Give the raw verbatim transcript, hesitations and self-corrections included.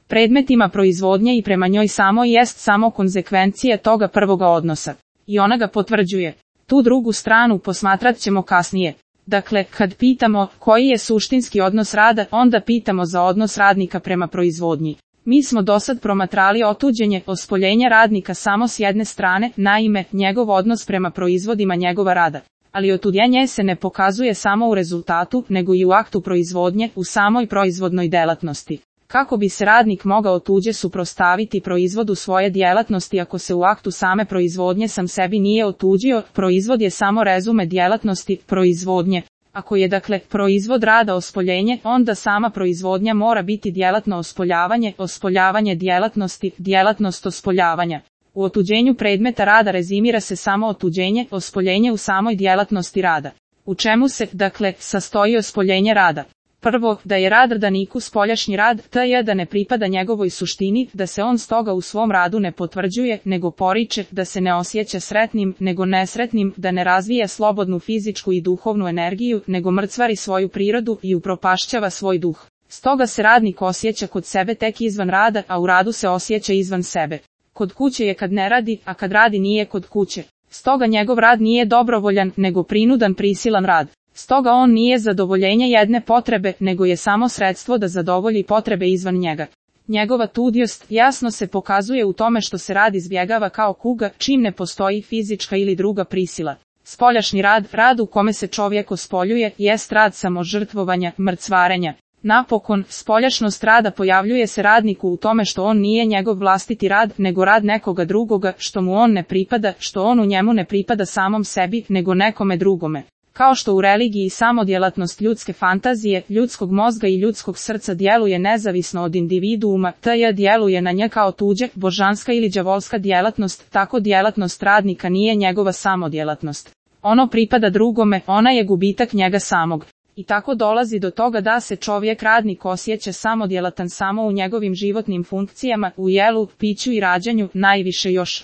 predmetima proizvodnje i prema njoj samo jest samo konzekvencija toga prvoga odnosa. I ona ga potvrđuje. Tu drugu stranu posmatrat ćemo kasnije. Dakle, kad pitamo koji je suštinski odnos rada, onda pitamo za odnos radnika prema proizvodnji. Mi smo dosad promatrali otuđenje, ospoljenje radnika samo s jedne strane, naime, njegov odnos prema proizvodima njegova rada. Ali otuđenje se ne pokazuje samo u rezultatu, nego i u aktu proizvodnje, u samoj proizvodnoj delatnosti. Kako bi se radnik mogao tuđe suprotstaviti proizvodu svoje djelatnosti ako se u aktu same proizvodnje sam sebi nije otuđio, proizvod je samo rezume djelatnosti proizvodnje. Ako je dakle proizvod rada ospoljenje, onda sama proizvodnja mora biti djelatno ospoljavanje, ospoljavanje djelatnosti, djelatnost ospoljavanja. U otuđenju predmeta rada rezimira se samo otuđenje, ospoljenje u samoj djelatnosti rada. U čemu se, dakle, sastoji ospoljenje rada? Prvo, da je rad radaniku spoljašnji rad, to je da ne pripada njegovoj suštini, da se on stoga u svom radu ne potvrđuje, nego poriče, da se ne osjeća sretnim, nego nesretnim, da ne razvija slobodnu fizičku i duhovnu energiju, nego mrcvari svoju prirodu i upropašćava svoj duh. Stoga se radnik osjeća kod sebe tek izvan rada, a u radu se osjeća izvan sebe. Kod kuće je kad ne radi, a kad radi nije kod kuće. Stoga njegov rad nije dobrovoljan, nego prinudan prisilan rad. Stoga on nije zadovoljenje jedne potrebe, nego je samo sredstvo da zadovolji potrebe izvan njega. Njegova tudiost jasno se pokazuje u tome što se rad izbjegava kao kuga, čim ne postoji fizička ili druga prisila. Spoljašnji rad, rad u kome se čovjek ospoljuje, jest rad samožrtvovanja, mrcvarenja. Napokon, spoljašnost rada pojavljuje se radniku u tome što on nije njegov vlastiti rad, nego rad nekoga drugoga, što mu on ne pripada, što on u njemu ne pripada samom sebi, nego nekome drugome. Kao što u religiji samodjelatnost ljudske fantazije, ljudskog mozga i ljudskog srca djeluje nezavisno od individuuma, te djeluje na nje kao tuđe, božanska ili đavolska djelatnost, tako djelatnost radnika nije njegova samodjelatnost. Ono pripada drugome, ona je gubitak njega samog. I tako dolazi do toga da se čovjek radnik osjeća samodjelatan samo u njegovim životnim funkcijama, u jelu, piću i rađanju, najviše još